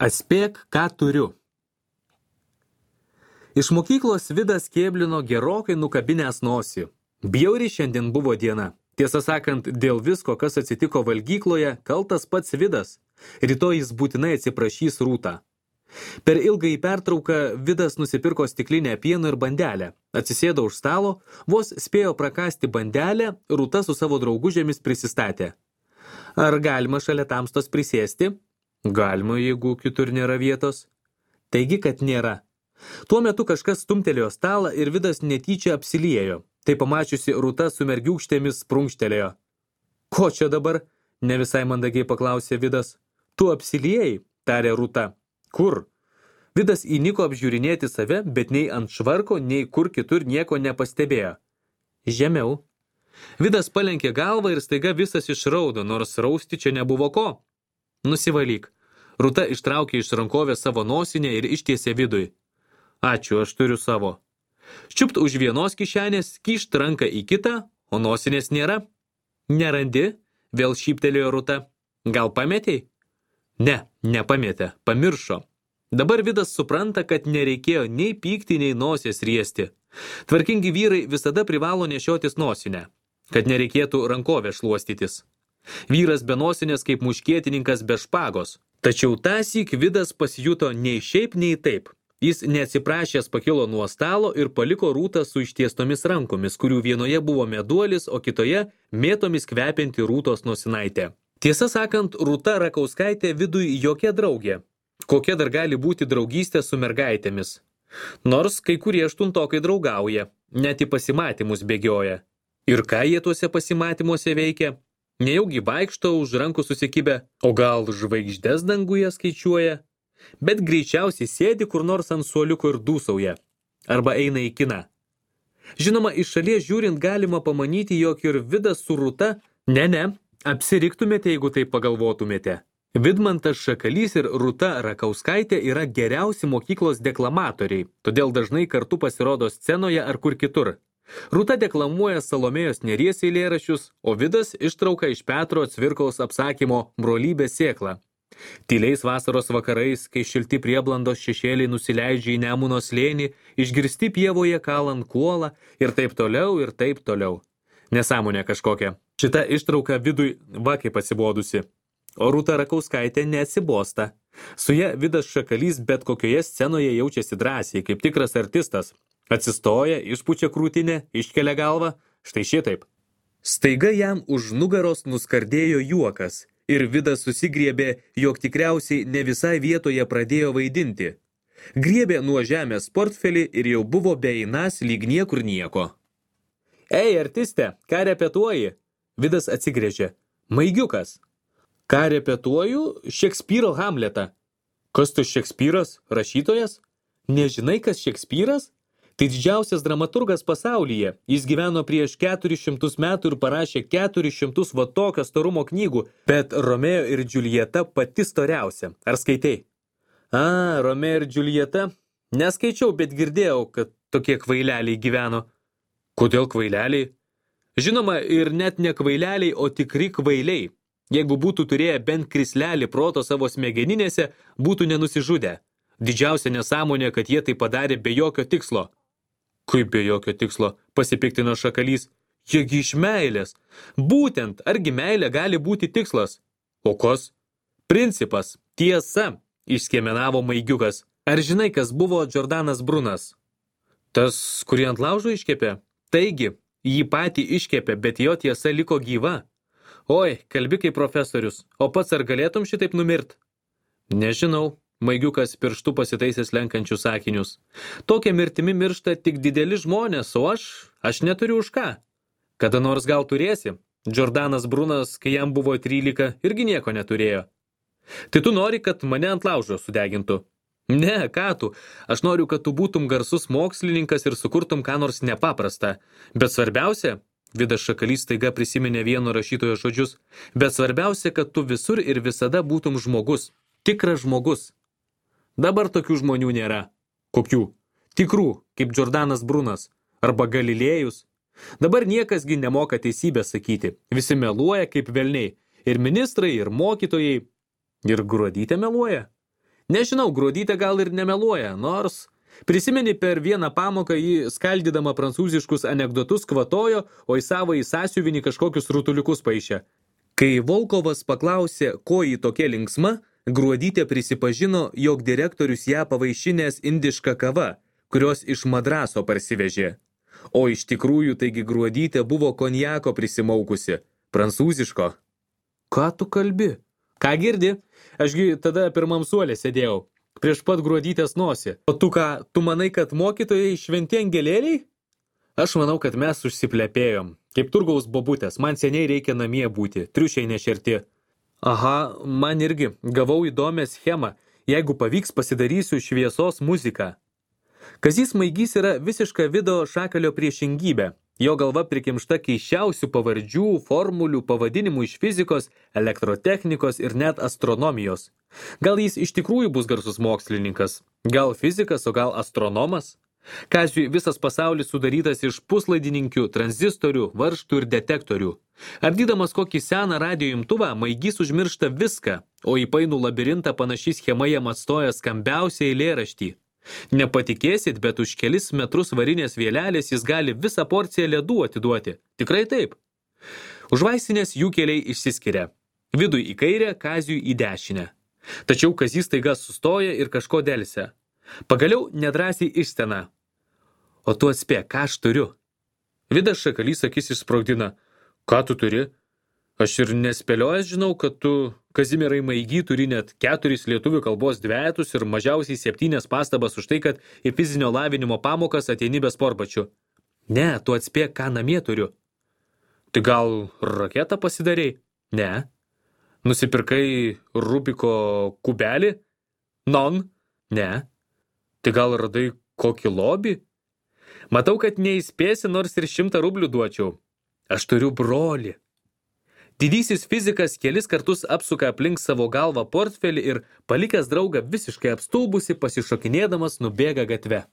Atspėk, ką turiu. Iš mokyklos Vidas kėblino gerokai nukabinęs nosį. Bjauri šiandien buvo diena. Tiesą sakant, dėl visko, kas atsitiko valgykloje, kaltas pats Vidas. Rytoj jis būtinai atsiprašys Rūtą. Per ilgąjį pertrauką Vidas nusipirko stiklinę pieno ir bandelę. Atsisėdo už stalo, vos spėjo prakasti bandelę, Rūta su savo draugužėmis prisistatė. Ar galima šalia tamstos prisėsti? Galima, jeigu kitur nėra vietos. Taigi, kad nėra. Tuo metu kažkas stumtelėjo stalą ir Vidas netyčia apsiliejo. Tai pamačiusi Rūta su mergiūkštėmis prunkštelėjo. Ko čia dabar? Ne visai mandagiai paklausė Vidas. Tu apsiliejai, tarė Rūta. Kur? Vidas įniko apžiūrinėti save, bet nei ant švarko, nei kur kitur nieko nepastebėjo. Žemiau. Vidas palenkė galvą ir staiga visas išraudo, nors rausti čia nebuvo ko. Nusivalyk. Rūta ištraukė iš rankovės savo nosinę ir ištiesė Vidui. Ačiū, aš turiu savo. Čiupt už vienos kišenės, kyšt ranką į kitą, o nosinės nėra. Nerandi? Vėl šyptelėjo Rūta. Gal pametei? Ne, nepametė, pamiršo. Dabar Vidas supranta, kad nereikėjo nei pykti, nei nosies riesti. Tvarkingi vyrai visada privalo nešiotis nosinę, kad nereikėtų rankovę šluostytis. Vyras be nosinės kaip muškietininkas be špagos. Tačiau tąsyk Vidas pasijuto nei šiaip, nei taip. Jis neatsiprašęs pakilo nuo stalo ir paliko Rūtą su ištiestomis rankomis, kurių vienoje buvo meduolis, o kitoje mėtomis kvepianti Rūtos nosinaitė. Tiesą sakant, Rūta Rakauskaitė Vidui jokia draugė. Kokia dar gali būti draugystė su mergaitėmis? Nors kai kurie aštuntokai draugauja, net į pasimatymus bėgioja. Ir ką jie tuose pasimatymuose veikia? Nejaugi vaikšto už rankų susikibę, o gal žvaigždes danguje skaičiuoja? Bet greičiausiai sėdi kur nors ant suoliuko ir dūsauja. Arba eina į kiną. Žinoma, iš šalies žiūrint galima pamanyti, jog ir Vidas su Rūta, apsiriktumėte, jeigu taip pagalvotumėte. Vidmantas Šakalys ir Rūta Rakauskaitė yra geriausi mokyklos deklamatoriai, todėl dažnai kartu pasirodo scenoje ar kur kitur. Rūta deklamuoja Salomėjos Nėries eilėraščius, o Vidas ištrauka iš Petro Cvirkaus apsakymo Brolybės sėkla. Tyliais vasaros vakarais, kai šilti prieblandos šešėliai nusileidžia į Nemuno slėnį, išgirsti pievoje kalant kuolą ir taip toliau, ir taip toliau. Nesąmonė kažkokia. Šita ištrauka Vidui va kaip atsibodusi. O Rūta Rakauskaitė neatsibosta. Su ja Vidas Šakalys bet kokioje scenoje jaučiasi drąsiai, kaip tikras artistas. Atsistoja, išpučia krūtinę, iškelia galvą, štai šitaip. Staiga jam už nugaros nuskardėjo juokas. Ir Vidas susigriebė, jog tikriausiai ne visai vietoje pradėjo vaidinti. Griebė nuo žemės portfelį ir jau buvo beeinas lyg niekur nieko. Ei, artiste, ką repetuoji? Vidas atsigręžė. Maigiukas. Ką repetuoju? Šekspyro Hamletą. Kas tu Šekspyras? Rašytojas? Nežinai, kas Šekspyras? Tai didžiausias dramaturgas pasaulyje. Jis gyveno prieš 400 metų ir parašė 400 va tokio storumo knygų, bet Romeo ir Džiuljeta pati storiausia. Ar skaitei? Romeo ir Džiuljeta? Neskaičiau, bet girdėjau, kad tokie kvaileliai gyveno. Kodėl kvaileliai? Žinoma, ir net ne kvaileliai, o tikri kvailiai. Jeigu būtų turėję bent krislelį proto savo smegeninėse, būtų nenusižudę. Didžiausia nesąmonė, kad jie tai padarė be jokio tikslo. Kaip be jokio tikslo, pasipiktino Šakalys. Jiegi iš meilės. Būtent, argi meilė gali būti tikslas? O kas? Principas, tiesa, išskiemenavo Maigiukas. Ar žinai, kas buvo Džordanas Brunas? Tas, kurį ant laužo iškepė? Taigi, jį patį iškepė, bet jo tiesa liko gyva. Oi, kalbi kaip profesorius, o pats ar galėtum šitaip numirt? Nežinau. Maigiukas pirštu pasitaisęs lenkančius sakinius. Tokia mirtimi miršta tik dideli žmonės, o aš neturiu už ką. Kada nors gal turėsi? Džordanas Brunas, kai jam buvo 13, irgi nieko neturėjo. Tai tu nori, kad mane ant laužo sudegintų? Ne, ką tu? Aš noriu, kad tu būtum garsus mokslininkas ir sukurtum ką nors nepaprastą. Bet svarbiausia, Vidas Šakalys staiga prisiminė vieno rašytojo žodžius, bet svarbiausia, kad tu visur ir visada būtum žmogus. Tikras žmogus. Dabar tokių žmonių nėra. Kokių? Tikrų, kaip Džordanas Brunas. Arba Galilėjus. Dabar niekasgi nemoka teisybę sakyti. Visi meluoja kaip velniai. Ir ministrai, ir mokytojai. Ir Gruodytė meluoja. Nežinau, Gruodytė gal ir nemeluoja, nors prisimeni per vieną pamoką jį skaldydama prancūziškus anekdotus kvatojo, o į savo sąsiuvinį kažkokius rutuliukus paišė. Kai Volkovas paklausė, ko jį tokia linksma, Gruodytė prisipažino, jog direktorius ją pavaišinęs indiška kava, kurios iš Madraso parsivežė. O iš tikrųjų taigi Gruodytė buvo konjako prisimaukusi, prancūziško. Ką tu kalbi? Ką girdi? Ašgi tada pirmam suolė sėdėjau, prieš pat Gruodytės nosį. O tu ką, tu manai, kad mokytojai šventi angelėliai? Aš manau, kad mes užsiplepėjom. Kaip turgaus bobutės, man seniai reikia namie būti, triušiai nešerti. Aha, man irgi, gavau įdomią schemą. Jeigu pavyks, pasidarysiu šviesos muziką. Kazys Maigys yra visiška Vido Šakalio priešingybė. Jo galva prikimšta keisčiausių pavardžių, formulių, pavadinimų iš fizikos, elektrotechnikos ir net astronomijos. Gal jis iš tikrųjų bus garsus mokslininkas? Gal fizikas, o gal astronomas? Kaziui visas pasaulis sudarytas iš puslaidininkių, tranzistorių, varžtų ir detektorių. Ardydamas kokį seną radijo imtuvą, Maigys užmiršta viską, o į painų labirintą panaši schema jam atstoja skambiausią eilėraštį. Nepatikėsit, bet už kelis metrus varinės vėlelės jis gali visą porciją ledų atiduoti. Tikrai taip. Už vaistinės jų keliai išsiskiria. Vidui į kairę, Kaziui į dešinę. Tačiau Kazys staiga sustoja ir kažko delsia. Pagaliau nedrąsiai išstena. O tu atspėk, ką aš turiu? Vidas Šakalys akis išsprogdina. Ką tu turi? Aš ir nespėliojęs žinau, kad tu, Kazimierai Maigy, turi net 4 lietuvių kalbos dvejetus ir mažiausiai 7 pastabas už tai, kad į fizinio lavinimo pamokas ateini be sportbačių. Ne, tu atspėk, ką namie turiu. Tai gal raketą pasidarei? Ne. Nusipirkai Rubiko kubelį? Non? Ne. Tai gal radai kokį lobį? Matau, kad neįspėsi, nors ir 100 rublių duočiau. Aš turiu brolį. Didysis fizikas kelis kartus apsuka aplink savo galvą portfelį ir, palikęs draugą visiškai apstulbusi, pasišokinėdamas nubėga gatve.